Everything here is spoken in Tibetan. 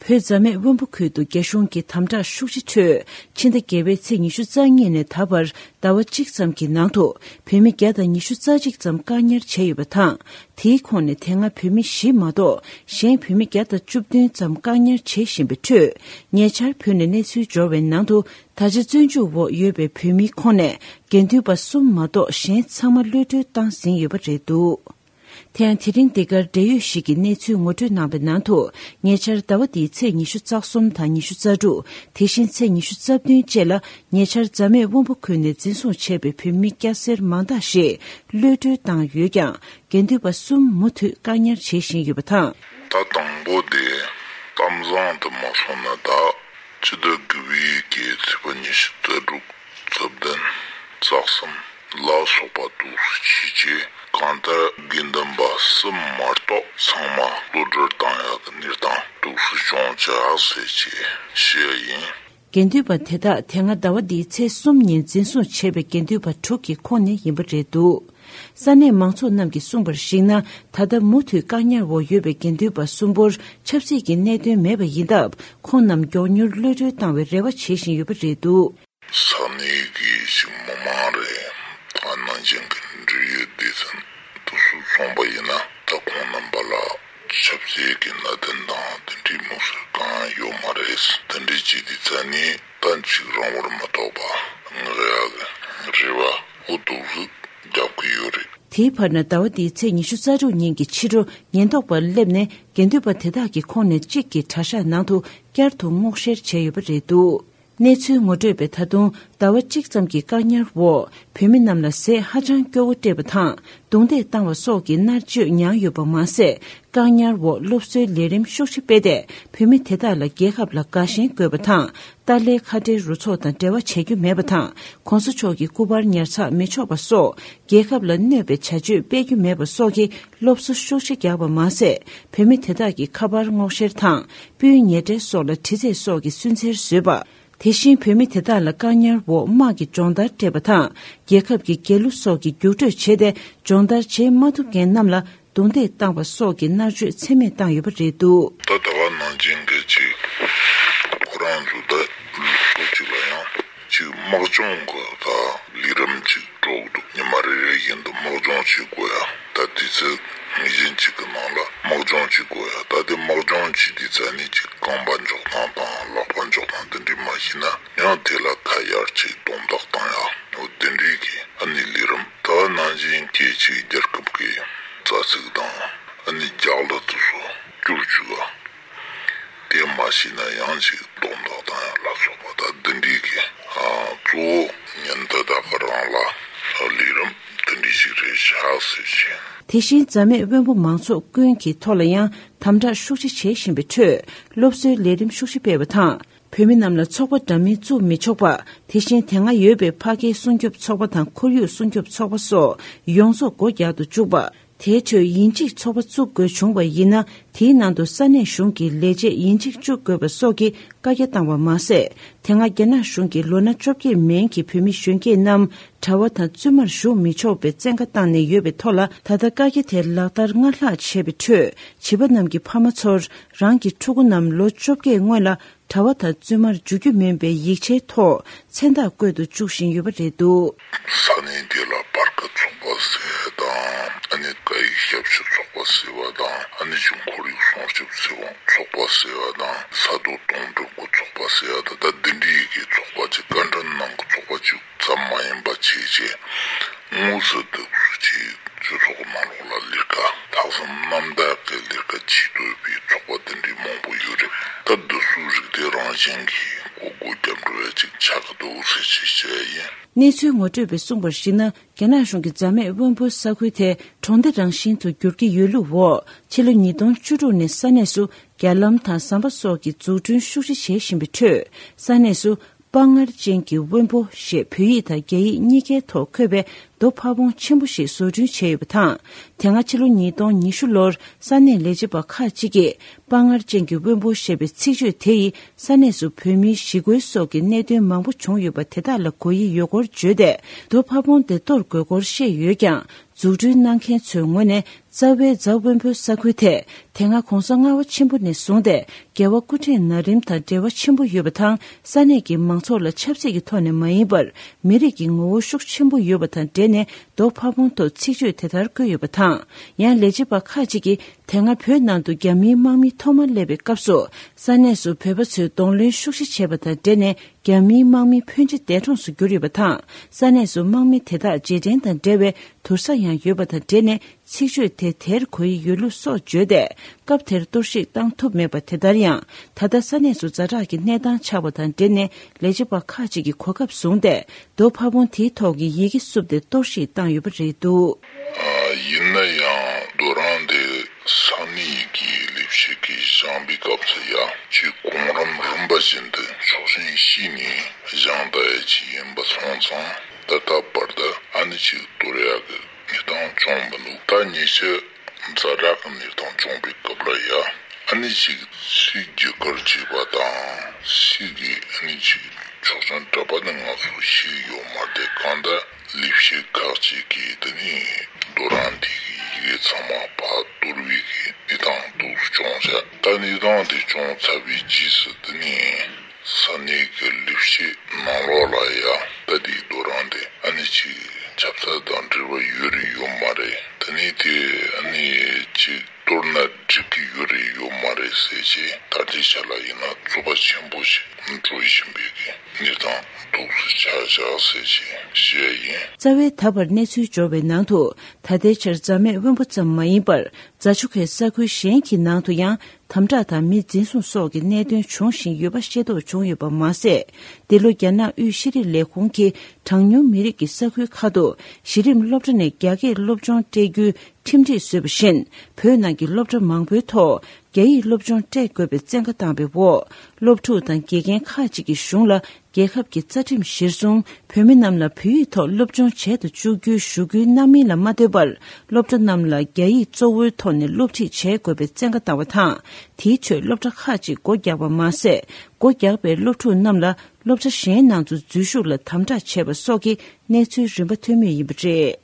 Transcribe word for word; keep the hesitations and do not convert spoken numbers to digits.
བོད་རྫ་སྨད་དབོན་པོ་ཁུལ་དུ་རྒྱ་གཞུང་གི་དམ་དྲག་ཤུགས་ཆེ་ཁྲོད། ཕྱི་ཟླ་བརྒྱད་པའི་ཚེས་ཉི་ཤུ་རྩ་གཉིས་ནས་ད་བར་ཟླ་བ་གཅིག་ཙམ་གྱི་ནང་དུ་བོད་མི་བརྒྱ་དང་ཉི་ཤུ་རྩ་གཅིག་ཙམ་བཀག་ཉར་བྱས་ཡོད་པ་དང་། དེའི་ཁོངས་ནས་དེ་སྔ་བོད་མི་བཞི་མ་གཏོགས་གཞན་བོད་མི་བརྒྱ་དང་བཅུ་བདུན་ཙམ་བཀག་ཉར་བྱེད་བཞིན་པའི་ཁྲོད། ཉེ་ཆར་བོད་ནས་གནས་ཚུལ་འབྱོར་བའི་ནང་དུ། ད་ཆ་བཙོན་འཇུག་འོག་ཡོད་པའི་བོད་མིའི་ཁོངས་ནས་དགེ་འདུན་པ་གསུམ་མ་གཏོགས་གཞན་ཚང་མ་གློད་གྲོལ་བཏང་ཟིན་ཡོད་པ་རེད་འདུག་དེ་ཡང་དེ་རིང་འདི་གར་འབྲེལ་ཡོད་ཞིག་གིས་གནས་ཚུལ་ངོ་སྤྲོད་གནང་བའི་ནང་དུ། ཉེ་ཆར་ཟླ་བ་འདིའི་ཚེས་ཉི་ཤུ་རྩ་གསུམ་དང་ཉི་ཤུ་རྩ་དྲུག་དེ་བཞིན་ཚེས་ཉི་ཤུ་རྩ་བདུན་བཅས་ལ་ཉེ་ཆར་རྫ་སྨད་དབོན་པོ་ཁུལ་ནས་འཛིན་བཟུང་བྱས་པའི་བོད་མི་སྐྱ་སེར་མང་དག་ཞིག་གློད་གྲོལ་བཏང་ཡོད་ཀྱང་། དགེ་འདུན་པ་གསུམ་མུ་མཐུད་བཀག་ཉར་བྱེད་བཞིན་ཡོད་པ་དང་། ད་དང་པོ་དེ་གཏམ་བཟང་དུ་མ་སོང་ན། ད་སྤྱི་ཟླ་དགུ་པའི་གི་ཚེས་པ་ཉི་ཤུ་རྩ་དྲུག་རྩ་བདུན་རྩ་གསུམ་ལ་སོགས་པ་འདུག་སེ་བྱས་རྗེས། གང་ལྟར་དགེ་འདུན་པ་གསུམ་མ་གཏོགས་ཚང་མ་གློད་གྲོལ་བཏང་ཡག་གི་གནས་སྟངས་འདུག་སེ་བྱུང་ཅག་ཟེར་བྱས་བཤད་ཡིན། དགེ་འདུན་པ་དེ་དག་དེ་སྔ་ཟླ་བ་འདིའི་ཚེས་གསུམ་ཉིན་འཛིན་བཟུང་བྱས་པའི་དགེ་འདུན་པ་དྲུག་གི་ཁོངས་ནས་ཡིན་པ་རེད་འདུག་ས་གནས་མང་ཚོགས་རྣམས་ཀྱིས་གསུངས་པར་གཞིགས་ན། ད་ལྟ་མུ་མཐུད་བཀག་ཉར་འོག་ཡོད་པའི་དགེ་འདུན་པ་གསུམ་པོར་ཆབ་སྲིད་ཀྱི་གནད་དོན་མེད་པ་ཡིན་སྟབས། ཁོང་རྣམས་མགྱོགས་མྱུར་གློད་གྲོལ་བཏང་བའི་རེ་བ་བྱེད་བཞིན་ཡོད་པ་རེད་འདུག་ས་གནས་ཀྱི་ཞིག་མི་མང་རེད། ད་ནང་བཞིན་གྱི་འབྲེལ་ཡོད་སྡེ་ཚན་དུ་སུ་སོང་པ་ཡིན་ན། ད་ཁོང་རྣམ་པ་ལ་ཆབ་སྲིད་ཀྱི་གནད་དོན་དང་དེ་འདྲའི་མུ་མཐུད་གང་ཡོད་མ་རེད། དེ་འདྲའི་ཅིག་དེ་ཚ་ནི་ད་ཅིག་རང་དབང་མ་ཐོབ་པ་ངེས་ཡག་གི་རེ་བ་འོ་འདུག་སེ་རྒྱབ་ཀྱི་ཡོད་རེད། དེའི་བར་ན་ཟླ་བ་འདིའི་ཚེས་ཉི་ཤུ་རྩ་དྲུག་ཉིན་གྱི་ཕྱི་དྲོ་ཉེན་རྟོག་པར་སླེབས་ནས་དགེ་འདུན་པ་དེ་དག་གི་ཁོངས་ནས་གཅིག་གིས་གྲྭ་ཤག་ནང་དུ་བསྐྱར་དུ་སྔོག་བཤེར་བྱས་ཡོད་པ་རེད་འདུག་གནས་ཚུལ་ངོ་སྤྲོད་པས་ད་དུང་ཟླ་བ་གཅིག་ཙམ་གྱི་བཀག་ཉར་འོག་བོད་མི་རྣམས་ལ་ཟས་ཧ་ཅང་སྐྱོ་བོ་སྤྲད་པ་དང་རྡུང་རྡེག་བཏང་བ་སོགས་ཀྱི་མནར་གཅོད་མྱངས་ཡོད་པ་མ་ཟད། བཀག་ཉར་འོག་སློབ་གསོའི་ལས་རིམ་ཤུགས་ཆེ་སྤེལ་ཏེ། བོད་མི་དེ་དག་ལ་རྒྱལ་ཁབ་ལ་དགའ་ཞེན་དགོས་པ་དང་། ཏཱ་ལའི་ཁ་བྲལ་རུ་ཚོགས་དང་འབྲེལ་བ་བྱེད་རྒྱུ་མེད་པ་དང་། གོང་ས་མཆོག་གི་སྐུ་པར་ཉར་ཚགས་མི་ཆོག་པ་སོགས། རྒྱལ་ཁབ་ལ་གནོད་པའི་བྱ་སྤྱོད་སྤེལ་རྒྱུ་མེད་པ་སོགས་ཀྱི་སློབ་གསོ་ཤུགས་ཆེ་རྒྱག་པ་མ་ཟད། བོད་མི་དེ་དག་གི་ཁ་པར་སྔོག་བཤེར་དང་། སྤུན་ཉེ་འབྲེལ་སོགས་ལ་དྲི་རྩད་སོགས་ཀྱི་སུན་གཙེར་བཟོས་པ། དེ་བཞིན་བོད་མི་དེ་དག་ལ་བཀག་ཉར་འོག་དམག་གི་སྦྱོང་བརྡར་སྤྲད་པ་དང་། རྒྱལ་ཁབ་ཀྱི་རྒྱལ་གླུ་སོགས་ཀྱི་རྒྱུགས་སྤྲོད་བྱས་ཏེ། སྦྱོང་བརྡར་བྱེད་མ་ཐུབ་མཁན་རྣམས་ལ་རྡུང་རྡེག་བཏང་བ་སོགས་ཀྱི་མནར་གཅོད་ཚད་མེད་བཏང་ཡོད་པ་རེད་འདུག་ད་ད་ག་ནང་བཞིན་གྱི་ཅིག་ཁོ་རང་ཚོ་ད་ལུགས་སྲོལ་ཅིག་ལ་ཡང་ཅིག་དམག་སྦྱོང་གི་ད་ལས་རིམ་ཅིག་འགྲོ་གི་འདུག་ཉི་མ་རེ་རེ་བཞིན་དུ་དམག་སྦྱོང་བྱེད་དགོས་ཡ། ད་དུས་ཚོད་ངེས་ཅན་ཅིག་གི་ནང་ལ་དམག་སྦྱོང་བྱེད་དགོས་ཡ། ད་དེ་དམག་སྦྱོང་བྱེད་དུས་ཙ་ནས་ཅིག་རྐང་པ་འཇོག་སྟངས་དང་ལག་པ་འཇོག་སྟངས་དེ་འདྲ་མ་ཤེས་ན་ཡང་དེ་ལ་ཁ་གཡར་ཅིག་རྡུང་རྡེག་བཏང་ཡ། འོ་དེ་འདྲའི་གི་ཨ་ནི་ལས་རིམ། ད་ནང་བཞིན་གྱི་ཅིག་རྒྱལ་ཁབ་ཀྱི་རྩ་ཚིག་དང་ཨ་ནི་རྒྱལ་གླུ་དེ་ཚོ་བསྒྱུར་བཅུག་ཡ། དེ་མ་ཤེས་ན་ཡང་ཅིག་རྡུང་རྡེག་བཏང་ཡ་ལ་སོགས་པ། ད་འདི་འདྲའི་གི་ཨ་གཙོ་བོ་ཉིན་དེ་དག་གི་རིང་ལ་ལས་རིམ་འདི་འདྲའི་ཞིག་རེད་ཤག་ཟེར་བྱས། དེ་བཞིན་རྫ་སྨད་དབོན་པོ་མང་ཚོགས་ཀུན་གྱི་ཐོག་ལ་ཡང་དམ་དྲག་ཤུགས་ཆེ་བྱེད་བཞིན་པའི་ཁྲོད། སློབ་གསོའི་ལས་རིམ་ཤུགས་ཆེ་སྤེལ་བ་དང་། བོད་མི་རྣམས་ལ་ཚོགས་པ་འདྲ་མིན་བཙུགས་མི་ཆོག་པ། དེ་བཞིན་དེ་སྔ་ཡོད་པའི་ཕ་སྐད་སྲུང་སྐྱོབ་ཚོགས་པ་དང་ཁོར་ཡུག་སྲུང་སྐྱོབ་ཚོགས་པ་སོགས་ཡོངས་རྫོགས་སྒོ་རྒྱག་ཏུ་བཅུག་པ། དེའི་ཁྲོད་ཡིན་གཅིག་ཚོགས་པ་བཙུགས་དགོས་བྱུང་བ་ཡིན་ན། དེའི་ནང་དུ་ས་གནས་གཞུང་གི་ལས་བྱེད་ཡིན་གཅིག་བཅུག་དགོས་པ་སོགས་ཀྱི་བཀའ་རྒྱ་བཏང་བ་མ་ཟད། དེ་སྔ་རྒྱ་ནག་གཞུང་གིས་ལོ་ན་བཅོ་བརྒྱད་མན་གྱི་བོད་མི་གཞོན་སྐྱེས་རྣམས་གྲྭ་པ་དང་བཙུན་མར་ཞུགས་མི་ཆོག་པའི་བཙན་བཀའ་བཏང་ནས་ཡོད་པའི་ཐོག་ལ། ད་ལྟ་བཀའ་རྒྱ་དེ་ལག་བསྟར་སྔར་ལྷག་བྱས་པའི་ཁྲོད། བྱིས་པ་རྣམས་ཀྱི་ཕ་མ་ཚོར་རང་གི་ཕྲུ་གུ་རྣམས་ལོ་བཅོ་བརྒྱད་སྔོན་ལ་གྲྭ་པ་དང་བཙུན་མར་འཇུག་རྒྱུ་མིན་པའི་ཡིག་ཆའི་ཐོག་མཚན་རྟགས་བཀོད་དུ་བཅུག་བཞིན་ཡོད་པ་རེད་འདུག་ས་གནས་དེ་ལ་པར་ཀ་ཚོགས་པ་ཟེར་བ་དང་། ཨ་ནི་སྐད་ཡིག་ཞབས་ཞུ་ཚོགས་པ་ཟེར་བ་དང་། ཨ་ནི་ཅིག་ཁོར་ཡུག་སྲུང་སྐྱོབ་ཟེར་བ་ཚོགས་པ་ཟེར་བ་དང་། ས་རྡོ་དོང་སྤྲུག་གི་ཚོགས་པ་ཟེར་བ་དང་། ད་འདི་འདྲའི་ཡི་གེ་ཚོགས་པ་ཅིག་བཀའ་འདྲི་གནང་གི་ཚོགས་པ་ཅིག་ཙམ་མ་ཡིན་པ་བྱས་བྱས། དངོས་སུ་དུ་ཅིག་སྤྱི་ཚོགས་ནང་ལོགས་ལ་ལས་ཀ་ལྷག་བསམ་རྣམ་དག་གི་ལས་ཀ་བྱེད་འདོད་པའི་ཚོགས་པ་དེ་འདྲའི་མང་པོ་ཡོད་རེད། ད་འདི་ཚོའི་རིགས་དེ་རང་བཞིན་གྱིས་སྒོ་སྒོ་རྒྱབ་འགྲོ་བ་ཅིག་ཆགས་ཀྱི་འདུག་ཟེར་ཅིག་བཤད་ཡིན། གནས་ཚུལ་ངོ་སྤྲོད་པས་གསུངས་པར་གཞིགས་ན། རྒྱ་ནག་གཞུང་གིས་རྫ་སྨད་དབོན་པོ་ས་ཁུལ་དེ་གྲོང་སྡེ་རང་བཞིན་དུ་བསྒྱུར་གྱི་ཡོད་ལུགས་འོག་ཕྱི་ལོ་ཉིས་སྟོང་བཅུ་དྲུག་ནས་ས་གནས་སུ་རྒྱ་ལམ་དང་ཟམ་པ་སོགས་ཀྱི་འཛུགས་སྐྲུན་ཤུགས་ཆེ་བྱེད་བཞིན་པའི་ཁྲོད། ས་གནས་སུ་དཔའ་ངར་ཅན་གྱི་དབོན་པོ་ཞེས་བོད་ཡིག་དང་རྒྱ་ཡིག་གཉིས་ཀའི་ཐོག་འཁོད་པའི་ རྡོ་ཕ་བོང་ཆེན་པོ་ཞིག་བཟོ་སྐྲུན་བྱས་ཡོད་པ་དང་། དེ་སྔ་ཕྱི་ལོ་ཉིས་སྟོང་ཉི་ཤུ་ལོར་ས་གནས་ལས་བྱེད་པ་ཁག་ཅིག་གིས་དཔའ་ངར་ཅན་གྱི་དབོན་པོ་ཞེས་པའི་ཚིག་བརྗོད་དེ་ཡིས་ས་གནས་སུ་བོད་མིའི་ཞི་རྒོལ་སོགས་ཀྱི་གནད་དོན་མང་པོ་བྱུང་ཡོད་པ་དེ་དག་ལ་གོ་ཡི་ཡོད་སྐོར་བརྗོད་དེ། རྡོ་ཕ་བོང་དེ་གཏོར་དགོས་སྐོར་བཤད་ཡོད་ཀྱང་། འཛུགས་སྐྲུན་གནང་མཁན་ཚོའི་ངོས་ནས་རྩ་བའི་རྫ་དབོན་པོའི་ས་ཁུལ་དེ་དེ་སྔ་གོང་ས་ལྔ་པ་ཆེན་པོ་ནས་བཟུང་སྟེ་རྒྱལ་བ་སྐུ་ཕྲེང་ན་རིམ་དང་འབྲེལ་བ་ཆེན་པོ་ཡོད་པ་དང་། ས་གནས་ཀྱི་མང་ཚོགས་ལ་ཆབ་སྲིད་ཀྱི་ཐོག་ནས་མ་ཡིན་པར་མི་རིགས་ཀྱི་ངོ་བོ་ཤུགས་ཆེན་པོ་ཡོད་པ་དང་འབྲེལ་ནས་རྡོ་ཕ་བོང་ཐོག་ཚིག་བརྗོད་དེ་ལྟར་བཀོད་ཡོད་པ་དང་། ཡང་ལས་བྱེད་པ་ཁག་ཅིག་གིས་དེ་སྔ་བོད་ནང་དུ་རྒྱ་མིའི་དམག་མི་ཐོག་མར་སླེབས་པའི་སྐབས་སུ་ས་གནས་སུ་བོད་པ་ཚོས་གདོང་ལེན་ཤུགས་ཆེ་བྱས་པ་དང་འབྲེལ་ནས་རྒྱ་མིའི་དམག་མི་ཕོན་ཆེ་འདས་གྲོངས་སུ་གྱུར་ཡོད་པ་དང་། ས་གནས་སུ་དམག་མི་དེ་དག་རྗེས་དྲན་དང་འབྲེལ་བའི་དུར་ས་ཡང་ཡོད་པ་དང་འབྲེལ་ནས། ཚིག་བརྗོད་དེ་དེར་གོ་ཡི་ཡོད་ལུགས་སོགས་བརྗོད་དེ། སྐབས་དེར་གཏོར་བཤིག་བཏང་ཐུབ་མེད་པ་དེ་ལྟར་ཡང་། ད་ལྟ་ས་གནས་སུ་ཛ་དྲག་གི་གནས་སྟངས་ཆགས་པ་དང་འབྲེལ་ནས་ལས་བྱེད་པ་ཁག་ཅིག་གིས་གོ་སྐབས་བཟུང་སྟེ། རྡོ་ཕ་བོང་དེའི་ཐོག་གི་ཡི་གེ་བསུབས་ཏེ་གཏོར་བཤིག་བཏང་ཡོད་པ་རེད་འདུག། ཡིན་ན་ཡང་རྡོ་རིང་དེ་ས་གནས་ཀྱི་ལས་བྱེད་ཀྱིས་བཞེངས་པའི་སྐབས་སུ་ཡང་ཆེས་གོང་རིམ་རིམ་པ་བཞིན་དུ་ཕྱོགས་ཞེན་བྱས་ནས་བཞེངས་བསྡད་ཡ་ཅིག་ཡིན་པ་སོང་ཙང་། ད་ལྟ་བར་དུ་ཨ་ནི་ཅིག་གཏོར་ཡག་གི་གནས་སྟངས་བྱུང་མི་འདུག། ད་ཉེ་ཆར་ཛ་དྲག་གི་གནས་སྟངས་བྱུང་བའི་སྐབས་ལ་ཡ། ཨ་ནི་ཅིག་སུས་བརྒྱུད་སྐུར་བྱས་པ་དང་སུས་ཀྱིས་ཨ་ནི་ཅིག་ཆོག་མཆན་སྤྲད་པ་ནི་ང་ཚོ་ཤེས་ཀྱི་ཡོད་མ་རེད། གང་ལྟར་ལས་བྱེད་ཁག་ཅིག་གིས་དེ་ནས་རྡོ་རིང་དེ་གི་ཡི་གེ་ཚང་མ་ཕར་གཏོར་བའི་གི་གནས་སྟངས་འདུག་བྱུང་ཤག། ད་གནས་སྟངས་དེ་བྱུང་ཚར་བའི་རྗེས་སུ་དེ་ནས། ས་གནས་ཀྱི་ལས་བྱེད་ནང་ལོགས་ལ་ཡང་ད་ལྟའི་རྡོ་རིང་དེ་ཨ་ནི་ཅིག་ཆབ་སྲིད་དང་འབྲེལ་བ་ཡོད་རེད་ཡོད་མ་རེད། དེ་ནས་དེ་ཨ་ནི་ཅིག་གཏོར་ན་འགྲིག་གི་ཡོད་རེད་ཡོད་མ་རེད་ཟེར་བྱས། ད་ལྟའི་ཆ་ལ་ཡིན་ན་རྩོད་པ་ཆེན་པོ་ཞིག་འགྲོ་བཞིན་པའི་གི་གནས་སྟངས་འདུག་སེ་ཆགས་བཞག་ཟེར་བྱས་བཤད་ཡིན། རྩ་བའི་ད་བར་གནས་ཚུལ་འབྱོར་བའི་ནང་དུ། ད་ལྟའི་ཆར་རྫ་སྨད་དབོན་པོ་ཙམ་མ་ཡིན་པར། རྫ་ཆུ་ཁའི་ས་ཁུལ་གཞན་གྱི་ནང་དུ་ཡང་དམ་དྲག་དང་མི་འཛིན་བཟུང་སོགས་ཀྱི་གནད་དོན་འབྱུང་བཞིན་ཡོད་པ་ཤེས་རྟོགས་བྱུང་ཡོད་པ་མ་ཟད། འདི་ལོ་རྒྱ་ནག་དབུས་ཤེས་རིག་ལས་ཁུངས་ཀྱིས་གྲངས་ཉུང་མི་རིགས་ཀྱི་ས་ཁུལ་ཁག་ཏུ་གཞི་རིམ་སློབ་གྲྭ་ནས་རྒྱ་སྐད་སློབ་སྦྱོང་སྤྲད་རྒྱུའི་ཁྲིམས་སྒྲིག་བཟོས་པ་བཞིན། བོད་ནང་གི་སློབ་གྲྭ་མང་པོའི་ཐོག་རྒྱ་ཡིག་སློབ་སྦྱོང་སྤྲད་དགོས་པའི་བཙན་བཀའ་བཏང་བའི་འོག་སློབ་ཕྲུག་དང་དགེ་རྒན་ཁག་ཅིག་གིས་གཞུང་ལ། རྒྱལ་ཁབ་ཀྱི་རྩ་ཁྲིམས་གཞིར་བཟུང་བོད་མི་རྣམས་ལ་བོད་ཡིག་ཐོག་སློབ་སྦྱོང་བྱེད་དུ་བཅུག་རྒྱུའི་ཞུ་སྐུལ་གནང་མིན་ལ་མ་ལྟོས་པར། སློབ་གྲྭ་རྣམས་ལ་རྒྱ་ཡིག་གཙོ་བོའི་ཐོག་ནས་སློབ་ཁྲིད་བྱེད་དགོས་པའི་བཙན་བཀའ་བཏང་བ་དང་། དེའི་ཁྲོད་སློབ་གྲྭ་ཁག་ཅིག་སྒོ་རྒྱག་པ་མ་ཟད། སྒོ་རྒྱག་པའི་སློབ་ཕྲུག་རྣམས་ལ་སློབ་གྲྭ་གཞན་ནང་དུ་འཛུལ་ཞུགས་ལ་དམ་དྲག་བྱས་པ་སོགས་ཀྱི་གནས་ཚུལ་རིམ་པ་ཐོན་མུས་ཡིན་པ་རེད།